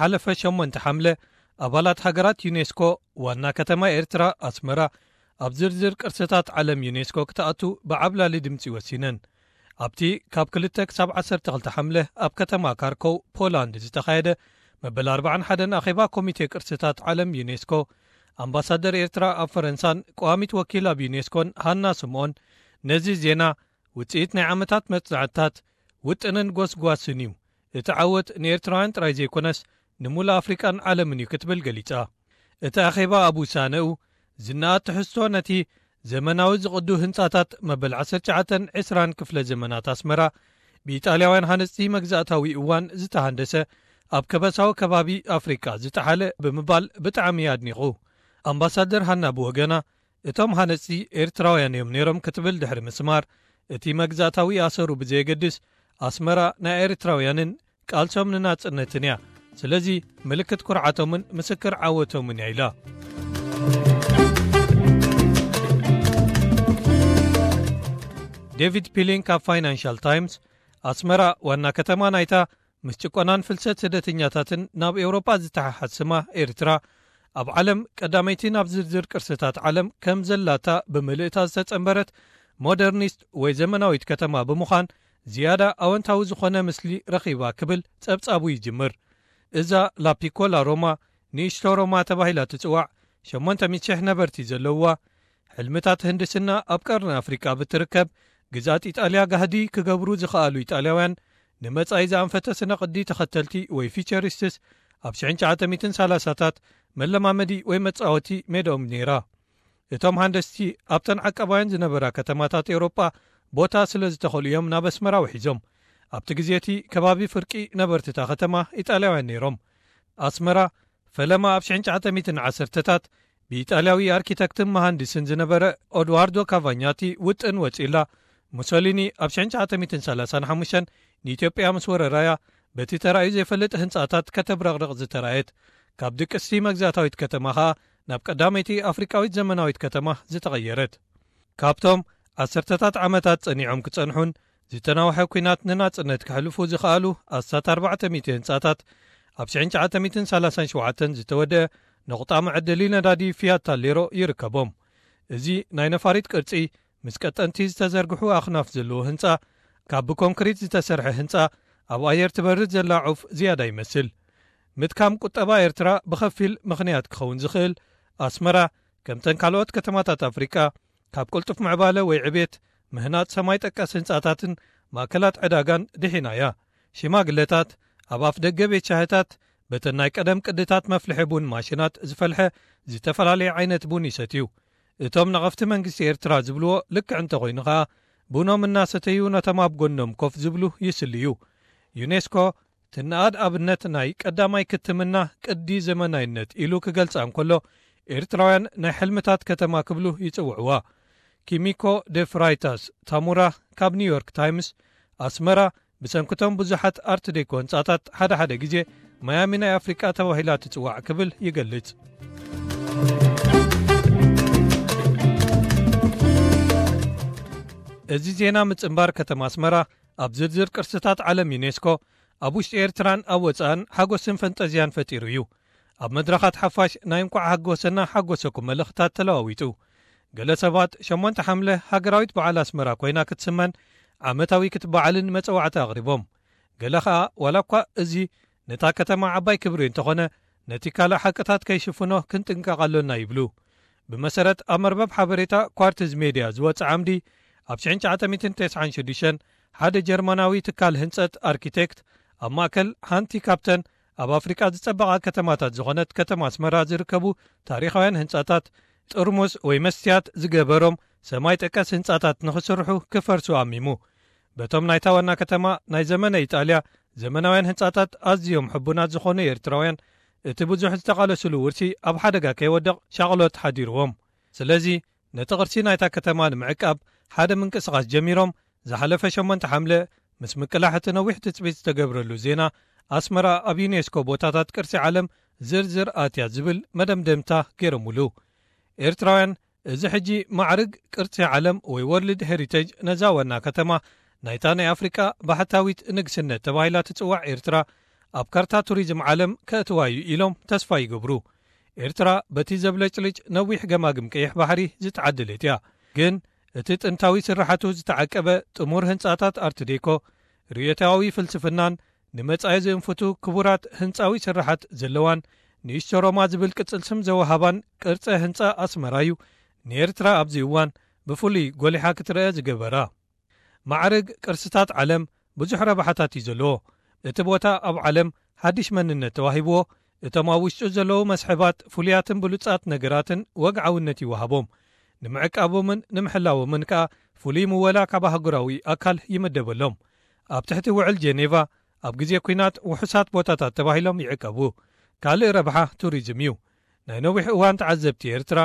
ሓለፈ ሸሞንተ ሓምለ፣ ኣባላት ሃገራት ዩኔስኮ ዋና ከተማ ኤርትራ ኣስመራ ኣብ ዝርዝር ቅርስታት ዓለም ዩኔስኮ ክትኣቱ ብዓብላሊ ድምጺ ወሲነን። ኣብቲ ካብ ክልተ ክሳብ ዓሰርተ ክልተ ሓምለ ኣብ ከተማ ካርኮው ፖላንድ ዝተኻየደ መበል ኣርባዓን ሓደን ኣኼባ ኮሚቴ ቅርስታት ዓለም ዩኔስኮ፣ ኣምባሳደር ኤርትራ ኣብ ፈረንሳን ቀዋሚት ወኪል ኣብ ዩኔስኮን ሃና ስምኦን፣ ነዚ ዜና ውጽኢት ናይ ዓመታት መጽናዕትታት፣ ውጥንን ጎስጓስን እዩ። እቲ ዓወት ንኤርትራውያን ጥራይ ዘይኮነስ፣ ንምሉእ ኣፍሪቃን ዓለምን እዩ ክትብል ገሊጻ። እቲ ኣኼባ ኣብ ውሳነኡ ዝነኣድ ትሕዝቶ ነቲ ዘመናዊ ዝቕዱ ህንጻታት መበል ዓሰርተ ትሽዓተን ዕስራን ክፍለ ዘመናት ኣስመራ ብኢጣልያውያን ሃነጽቲ መግዛእታዊ እዋን ዝተሃንደሰ፣ ኣብ ከበሳዊ ከባቢ ኣፍሪቃ ዝጠሓለ ብምባል ብጣዕሚ ኣድኒቑ። ኣምባሳደር ሃና ብወገና፣ እቶም ሃነጽቲ ኤርትራውያን እዮም ነይሮም ክትብል ድሕሪ ምስማር፣ እቲ መግዛእታዊ ኣሰሩ ብዘየገድስ ኣስመራ ናይ ኤርትራውያንን ቃልሶም ንናጽነትን እያ። ስለዚ ምልክት ኩርዓቶምን ምስክር ዓወቶምን እያ ኢላ። ዴቪድ ፒሊንግ ካብ ፋይናንሻል ታይምስ፣ ኣስመራ ዋና ከተማ ናይታ ምስ ጭቆናን ፍልሰት ስደተኛታትን ናብ ኤውሮጳ ዝተሓሓዝ ስማ ኤርትራ፣ ኣብ ዓለም ቀዳመይቲ ናብ ዝርዝር ቅርስታት ዓለም ከም ዘላታ ብምልእታ ዝተጸንበረት ሞደርኒስት ወይ ዘመናዊት ከተማ ብምዃን ዝያዳ ኣወንታዊ ዝኾነ ምስሊ ረኺባ ክብል ጸብጻቡ ይጅምር። እዛ ላፒኮላ ሮማ፣ ንእሽቶ ሮማ ተባሂላ ትጽዋዕ፣ ሸሞንተ ሚእቲ ሽሕ ነበርቲ ዘለውዋ፣ ሕልምታት ህንድስና ኣብ ቀርኒ ኣፍሪቃ ብትርከብ ግዝኣት ኢጣልያ ጋህዲ ክገብሩ ዝኸኣሉ ኢጣልያውያን ንመጻኢ ዝኣንፈተ ስነ ቅዲ ተኸተልቲ ወይ ፊቸሪስትስ ኣብ ሽሕን ትሽዓተ ሚእትን ሰላሳታት መለማመዲ ወይ መጻወቲ ሜዳኦም ነይራ። እቶም ሃንደስቲ ኣብተን ዓቃባውያን ዝነበራ ከተማታት ኤውሮጳ ቦታ ስለ ዝተኸሉ እዮም ናብ ኣስመራ ውሒዞም። ኣብቲ ግዜ እቲ ከባቢ ፍርቂ ነበርቲ እታ ከተማ ኢጣልያውያን ነይሮም። ኣስመራ ፈለማ ኣብ ሽሕን ትሽዓተ ሚእትን ዓሰርተታት ብኢጣልያዊ ኣርኪተክትን መሃንዲስን ዝነበረ ኦድዋርዶ ካቫኛቲ ውጥን ወጺላ። ሙሶሊኒ ኣብ ሽሕን ትሽዓተ ሚእትን ሰላሳን ሓሙሽተን ንኢትዮጵያ ምስ ወረራያ በቲ ተራእዩ ዘይፈልጥ ህንጻታት ከተብረቕርቕ ዝተራእየት፣ ካብ ድቅስቲ መግዛእታዊት ከተማ ኸኣ ናብ ቀዳመይቲ ኣፍሪቃዊት ዘመናዊት ከተማ ዝተቐየረት። ካብቶም ዓሰርተታት ዓመታት ጸኒዖም ክጸንሑን ዝተናውሐ ኲናት ንናጽነት ከሕልፉ ዝኸኣሉ ኣስታት ኣርባዕተ ሚእቲ ህንጻታት፣ ኣብ ሽሕን ትሽዓተ ሚእትን ሰላሳን ሸውዓተን ዝተወደአ ነቑጣ መዐደሊ ነዳዲ ፊያት ታሌሮ ይርከቦም። እዚ ናይ ነፋሪት ቅርጺ ምስ ቀጠንቲ ዝተዘርግሑ ኣኽናፍ ዘለዎ ህንጻ፣ ካብ ብኮንክሪት ዝተሰርሐ ህንጻ ኣብ ኣየር ትበርር ዘላ ዑፍ ዝያዳ ይመስል። ምድካም ቁጠባ ኤርትራ ብኸፊል ምኽንያት ክኸውን ዝኽእል፣ ኣስመራ ከምተን ካልኦት ከተማታት ኣፍሪቃ ካብ ቅልጡፍ ምዕባለ ወይ ዕቤት፣ ምህናጽ ሰማይ ጠቀስ ህንጻታትን ማእከላት ዕዳጋን ድሒና እያ። ሽማግለታት ኣብ ኣፍ ደገ ቤት ሻህታት በተን ናይ ቀደም ቅድታት መፍልሒ ቡን ማሽናት ዝፈልሐ ዝተፈላለየ ዓይነት ቡን ይሰትዩ። እቶም ነቐፍቲ መንግስቲ ኤርትራ ዝብልዎ ልክዕ እንተኾይኑ ኸኣ፣ ቡኖም እናሰተዩ ነቶም ኣብ ጎኖም ኮፍ ዝብሉ ይስልዩ። ዩኔስኮ ትንኣድ ኣብነት ናይ ቀዳማይ ክትምና ቅዲ ዘመናይነት ኢሉ ክገልጻ እንከሎ፣ ኤርትራውያን ናይ ሕልምታት ከተማ ክብሉ ይጽውዕዋ። ኪሚኮ ደ ፍራይታስ ታሙራ ካብ ኒውዮርክ ታይምስ፣ ኣስመራ ብሰንክቶም ብዙሓት ኣርት ዴኮ ህንጻታት ሓደ ሓደ ግዜ ማያሚ ናይ ኣፍሪቃ ተባሂላ ትጽዋዕ ክብል ይገልጽ። እዚ ዜና ምጽንባር ከተማ ኣስመራ ኣብ ዝርዝር ቅርስታት ዓለም ዩኔስኮ፣ ኣብ ውሽጢ ኤርትራን ኣብ ወጻእን ሓጎስን ፈንጠዝያን ፈጢሩ እዩ። ኣብ መድረኻት ሓፋሽ ናይ እንቋዕ ሓጎሰና ሓጎሰኩም መልእኽታት ተለዋዊጡ። ገለ ሰባት ሸሞንተ ሓምለ ሃገራዊት በዓል ኣስመራ ኮይና ክትስመን ዓመታዊ ክትበዓልን መጸዋዕታ ኣቕሪቦም። ገለ ኸኣ ዋላ እኳ እዚ ነታ ከተማ ዓባይ ክብሪ እንተኾነ፣ ነቲ ካልእ ሓቅታት ከይሽፍኖ ክንጥንቀቕ ኣሎና ይብሉ። ብመሰረት ኣብ መርበብ ሓበሬታ ኳርትዝ ሜድያ ዝወጸ ዓምዲ፣ ኣብ ሽሕን ትሽዓተ ሚእትን ተስዓን ሽዱሽተን ሓደ ጀርመናዊ ትካል ህንጸት ኣርኪቴክት ኣብ ማእከል ሓንቲ ካብተን ኣብ ኣፍሪቃ ዝጸበቓ ከተማታት ዝኾነት ከተማ ኣስመራ ዝርከቡ ታሪኻውያን ህንጻታት ጥርሙስ ወይ መስትያት ዝገበሮም ሰማይ ጠቀስ ህንጻታት ንኽስርሑ ክፈርሱ ኣሚሙ። በቶም ናይታ ዋና ከተማ ናይ ዘመነ ኢጣልያ ዘመናውያን ህንጻታት ኣዝዮም ሕቡናት ዝኾኑ ኤርትራውያን፣ እቲ ብዙሕ ዝተቓለስሉ ውርሲ ኣብ ሓደጋ ከይወድቕ ሻቕሎት ሓዲርዎም። ስለዚ ነቲ ቅርሲ ናይታ ከተማ ንምዕቃብ ሓደ ምንቅስቓስ ጀሚሮም። ዝሓለፈ ሸሞንተ ሓምለ ምስ ምቅላሕ እቲ ነዊሕ ትጽቢት ዝተገብረሉ ዜና፣ ኣስመራ ኣብ ዩኔስኮ ቦታታት ቅርሲ ዓለም ዝርዝር ኣትያ ዝብል መደምደምታ ገይሮምሉ። ኤርትራውያን፣ እዚ ሕጂ ማዕርግ ቅርሲ ዓለም ወይ ወርልድ ሄሪቴጅ ነዛ ዋና ከተማ ናይታ ናይ ኣፍሪቃ ባሕታዊት ንግስነት ተባሂላ ትጽዋዕ ኤርትራ ኣብ ካርታ ቱሪዝም ዓለም ከእትዋ እዩ ኢሎም ተስፋ ይገብሩ። ኤርትራ በቲ ዘብለጭልጭ ነዊሕ ገማግም ቀይሕ ባሕሪ ዝተዓደለት እያ። ግን እቲ ጥንታዊ ስርሓቱ ዝተዓቀበ ጥሙር ህንጻታት ኣርት ዴኮ፣ ርእዮታዊ ፍልስፍናን ንመጻኢ ዝእንፍቱ ክቡራት ህንጻዊ ስርሓት ዘለዋን ንእሽቶ ሮማ ዝብል ቅጽል ስም ዘወሃባን ቅርጸ ህንጻ ኣስመራ እዩ ንኤርትራ ኣብዚ እዋን ብፍሉይ ጎሊሓ ክትረአ ዝገበራ። ማዕርግ ቅርስታት ዓለም ብዙሕ ረብሓታት እዩ ዘለዎ። እቲ ቦታ ኣብ ዓለም ሓድሽ መንነት ተዋሂብዎ፣ እቶም ኣብ ውሽጡ ዘለዉ መስሕባት ፍሉያትን ብሉጻት ነገራትን ወግዓውነት ይወሃቦም። ንምዕቃቦምን ንምሕላዎምን ከኣ ፍሉይ ምወላ ካብ ኣህጉራዊ ኣካል ይምደበሎም። ኣብ ትሕቲ ውዕል ጀኔቫ ኣብ ግዜ ኲናት ውሑሳት ቦታታት ተባሂሎም ይዕቀቡ። ካልእ ረብሓ ቱሪዝም እዩ። ናይ ነዊሕ እዋን ተዓዘብቲ ኤርትራ፣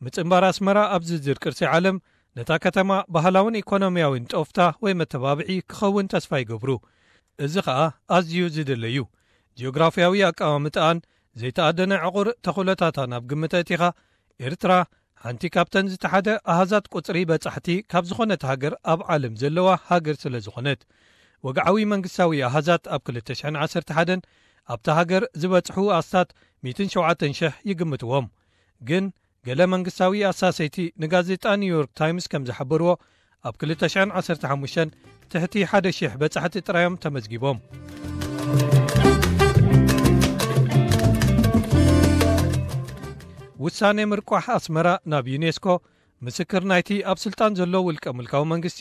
ምጽንባር ኣስመራ ኣብ ዝርዝር ቅርሲ ዓለም ነታ ከተማ ባህላውን ኢኮኖሚያውን ጦፍታ ወይ መተባብዒ ክኸውን ተስፋ ይገብሩ። እዚ ኸኣ ኣዝዩ ዝድለ እዩ። ጂኦግራፍያዊ ኣቀማምጣኣን ዘይተኣደነ ዕቑር ተኽእሎታታን ኣብ ግምት ኣእቲኻ፣ ኤርትራ ሓንቲ ካብተን ዝተሓደ ኣሃዛት ቁጽሪ በጻሕቲ ካብ ዝኾነት ሃገር ኣብ ዓለም ዘለዋ ሃገር ስለ ዝኾነት፣ ወግዓዊ መንግስታዊ ኣሃዛት ኣብ ክልተ ሽሕን ዓሰርተ ሓደን ኣብታ ሃገር ዝበጽሑ ኣስታት ሚእትን ሸውዓተን ሽሕ ይግምትዎም። ግን ገለ መንግስታዊ ኣሳሰይቲ ንጋዜጣ ኒውዮርክ ታይምስ ከም ዝሓበርዎ፣ ኣብ ክልተ ሽሕን ዓሰርተ ሓሙሽተን ትሕቲ ሓደ ሽሕ በጻሕቲ ጥራዮም ተመዝጊቦም። ውሳኔ ምርቋሕ ኣስመራ ናብ ዩኔስኮ ምስክር ናይቲ ኣብ ስልጣን ዘሎ ውልቀ ምልካዊ መንግስቲ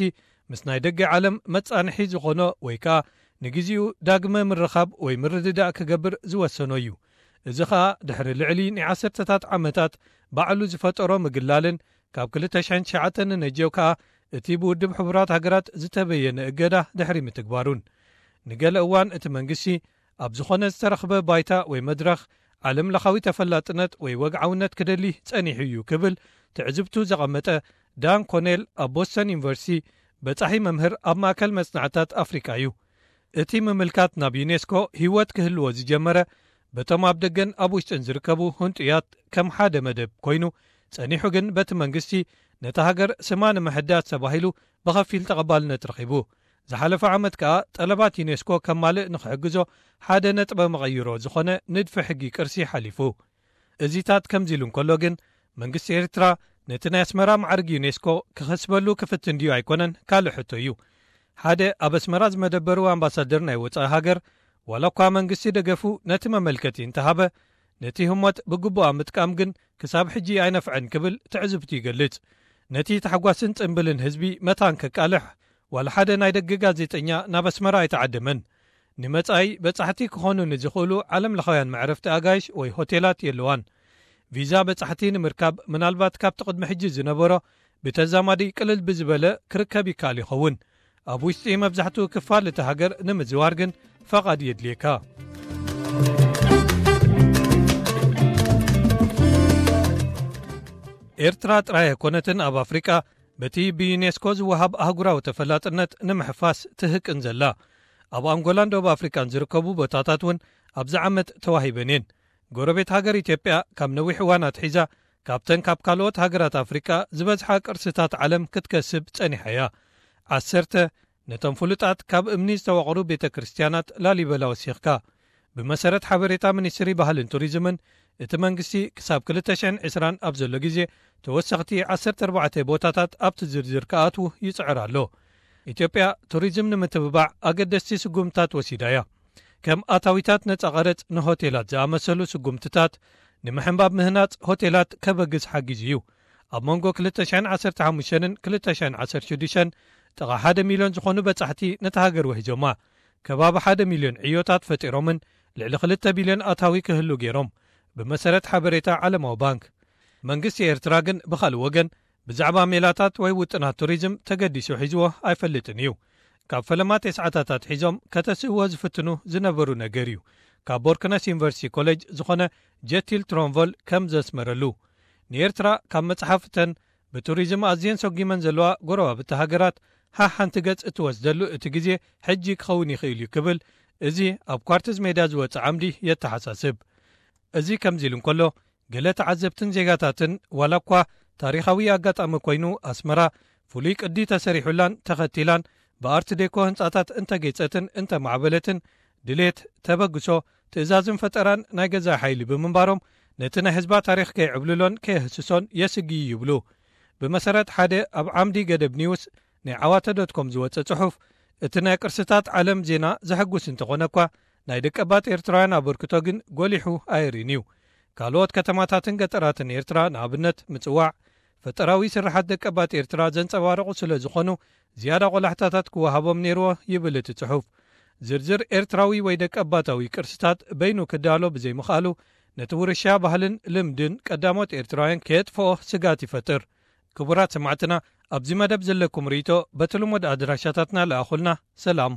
ምስ ናይ ደገ ዓለም መጻንሒ ዝኾኖ ወይ ከኣ ንግዜኡ ዳግመ ምርኻብ ወይ ምርድዳእ ክገብር ዝወሰኖ እዩ። እዚ ኸኣ ድሕሪ ልዕሊ ናይ ዓሰርተታት ዓመታት ባዕሉ ዝፈጠሮ ምግላልን ካብ ክልተ ሽሕን ትሽዓተን ንነጀው ከኣ እቲ ብውድብ ሕቡራት ሃገራት ዝተበየነ እገዳ ድሕሪ ምትግባሩን። ንገለ እዋን እቲ መንግስቲ ኣብ ዝኾነ ዝተረኽበ ባይታ ወይ መድረኽ ዓለም ለኻዊ ተፈላጥነት ወይ ወግዓውነት ክደሊ ጸኒሑ እዩ ክብል ትዕዝብቱ ዘቐመጠ ዳን ኮኔል ኣብ ቦስተን ዩኒቨርሲቲ በጻሒ መምህር ኣብ ማእከል መጽናዕታት ኣፍሪቃ እዩ። እቲ ምምልካት ናብ ዩኔስኮ ህይወት ክህልዎ ዝጀመረ በቶም ኣብ ደገን ኣብ ውሽጥን ዝርከቡ ህንጡያት ከም ሓደ መደብ ኮይኑ ጸኒሑ፣ ግን በቲ መንግስቲ ነታ ሃገር ስማ ንምሕዳስ ተባሂሉ ብኸፊል ተቐባልነት ረኺቡ። ዝሓለፈ ዓመት ከኣ ጠለባት ዩኔስኮ ከማልእ ንኽሕግዞ ሓደ ነጥበ መቐይሮ ዝኾነ ንድፊ ሕጊ ቅርሲ ሓሊፉ። እዚታት ከምዚ ኢሉ እንከሎ ግን፣ መንግስቲ ኤርትራ ነቲ ናይ ኣስመራ ማዕርግ ዩኔስኮ ክኸስበሉ ክፍትን ድዩ ኣይኮነን ካልእ ሕቶ እዩ። ሓደ ኣብ ኣስመራ ዝመደበሩ ኣምባሳደር ናይ ወጻኢ ሃገር፣ ዋላ እኳ መንግስቲ ደገፉ ነቲ መመልከቲ እንተሃበ፣ ነቲ ህሞት ብግቡእ ኣብ ምጥቃም ግን ክሳብ ሕጂ ኣይነፍዐን ክብል ትዕዝብቱ ይገልጽ። ነቲ ታሕጓስን ጽምብልን ህዝቢ መታን ከቃልሕ፣ ዋላ ሓደ ናይ ደገ ጋዜጠኛ ናብ ኣስመራ ኣይተዓደመን። ንመጻኢ በጻሕቲ ክኾኑ ንዝኽእሉ ዓለም ለኻውያን መዕረፍቲ ኣጋይሽ ወይ ሆቴላት የለዋን። ቪዛ በጻሕቲ ንምርካብ ምናልባት ካብቲ ቅድሚ ሕጂ ዝነበሮ ብተዛማዲ ቅልል ብዝበለ ክርከብ ይከኣል ይኸውን። ኣብ ውሽጢ መብዛሕትኡ ክፋል እቲ ሃገር ንምዝዋር ግን ፈቓድ የድልየካ። ኤርትራ ጥራይ ኣይኮነትን ኣብ ኣፍሪቃ በቲ ብዩኔስኮ ዝወሃብ ኣህጉራዊ ተፈላጥነት ንምሕፋስ ትህቅን ዘላ። ኣብ ኣንጎላን ደቡብ ኣፍሪቃን ዝርከቡ ቦታታት እውን ኣብዚ ዓመት ተዋሂበን እየን። ጎረቤት ሃገር ኢትዮጵያ ካብ ነዊሕ እዋን ኣትሒዛ ካብተን ካብ ካልኦት ሃገራት ኣፍሪቃ ዝበዝሓ ቅርስታት ዓለም ክትከስብ ጸኒሓ እያ። ዓሰርተ ነቶም ፍሉጣት ካብ እምኒ ዝተወቕሩ ቤተ ክርስትያናት ላሊበላ ወሲኽካ። ብመሰረት ሓበሬታ ሚኒስትሪ ባህልን ቱሪዝምን፣ እቲ መንግስቲ ክሳብ ክልተ ሽሕን ዕስራን ኣብ ዘሎ ግዜ ተወሰኽቲ ዓሰርተ ኣርባዕተ ቦታታት ኣብቲ ዝርዝር ክኣትዉ ይጽዕር ኣሎ። ኢትዮጵያ ቱሪዝም ንምትብባዕ ኣገደስቲ ስጉምታት ወሲዳ እያ። ከም ኣታዊታት ነጻ ቀረጽ ንሆቴላት ዝኣመሰሉ ስጉምትታት ንምሕንባብ ምህናጽ ሆቴላት ከበግስ ሓጊዙ እዩ። ኣብ መንጎ ክልተ ሽሕን ዓሰርተ ሓሙሽተን ክልተ ሽሕን ዓሰርተ ሽዱሽተን ጥቓ ሓደ ሚልዮን ዝኾኑ በጻሕቲ ነታ ሃገር ወሂዞማ። ከባቢ ሓደ ሚልዮን ዕዮታት ፈጢሮምን ልዕሊ ክልተ ቢልዮን ኣታዊ ክህሉ ገይሮም፣ ብመሰረት ሓበሬታ ዓለማዊ ባንክ። መንግስቲ ኤርትራ ግን ብኻልእ ወገን ብዛዕባ ሜላታት ወይ ውጥናት ቱሪዝም ተገዲሱ ሒዝዎ ኣይፈልጥን እዩ። ካብ ፈለማ ተስዓታት ኣትሒዞም ከተስእዎ ዝፍትኑ ዝነበሩ ነገር እዩ። ካብ ቦርክነስ ዩኒቨርሲቲ ኮሌጅ ዝኾነ ጀቲል ትሮንቮል ከም ዘስመረሉ፣ ንኤርትራ ካብ መጽሓፍተን ብቱሪዝም ኣዝየን ሰጒመን ዘለዋ ጎረባብቲ ሃገራት ሓሓንቲ ገጽ እትወስደሉ እቲ ግዜ ሕጂ ክኸውን ይኽእል እዩ ክብል፣ እዚ ኣብ ኳርትዝ ሜድያ ዝወጸ ዓምዲ የተሓሳስብ። እዚ ከምዚ ኢሉ እንከሎ፣ ገለ ተዓዘብትን ዜጋታትን፣ ዋላ እኳ ታሪኻዊ ኣጋጣሚ ኮይኑ ኣስመራ ፍሉይ ቅዲ ተሰሪሑላን ተኸቲላን ብኣርት ዴኮ ህንጻታት እንተጌጸትን እንተማዕበለትን፣ ድሌት፣ ተበግሶ፣ ትእዛዝን ፈጠራን ናይ ገዛእ ሓይሊ ብምንባሮም፣ ነቲ ናይ ህዝባ ታሪኽ ከይዕብልሎን ከየህስሶን የስግዩ ይብሉ። ብመሰረት ሓደ ኣብ ዓምዲ ገደብ ኒውስ ናይ ዓዋተ ዶት ኮም ዝወጸ ጽሑፍ፣ እቲ ናይ ቅርስታት ዓለም ዜና ዘሐጉስ እንተኾነ እኳ፣ ናይ ደቀባት ኤርትራውያን ኣበርክቶ ግን ጎሊሑ ኣየርእን እዩ። ካልኦት ከተማታትን ገጠራትን ኤርትራ፣ ንኣብነት ምጽዋዕ፣ ፈጠራዊ ስርሓት ደቀባት ኤርትራ ዘንጸባርቑ ስለ ዝኾኑ፣ ዝያዳ ቆላሕታታት ክወሃቦም ነይርዎ ይብል እቲ ጽሑፍ። ዝርዝር ኤርትራዊ ወይ ደቀባታዊ ቅርስታት በይኑ ክዳሎ ብዘይምኽኣሉ፣ ነቲ ውርሻ ባህልን ልምድን ቀዳሞት ኤርትራውያን ከየጥፍኦ ስጋት ይፈጥር። ክቡራት ሰማዕትና፣ ኣብዚ መደብ ዘለኩም ርእይቶ በቲ ልሙድ ኣድራሻታትና ለኣኹልና። ሰላም።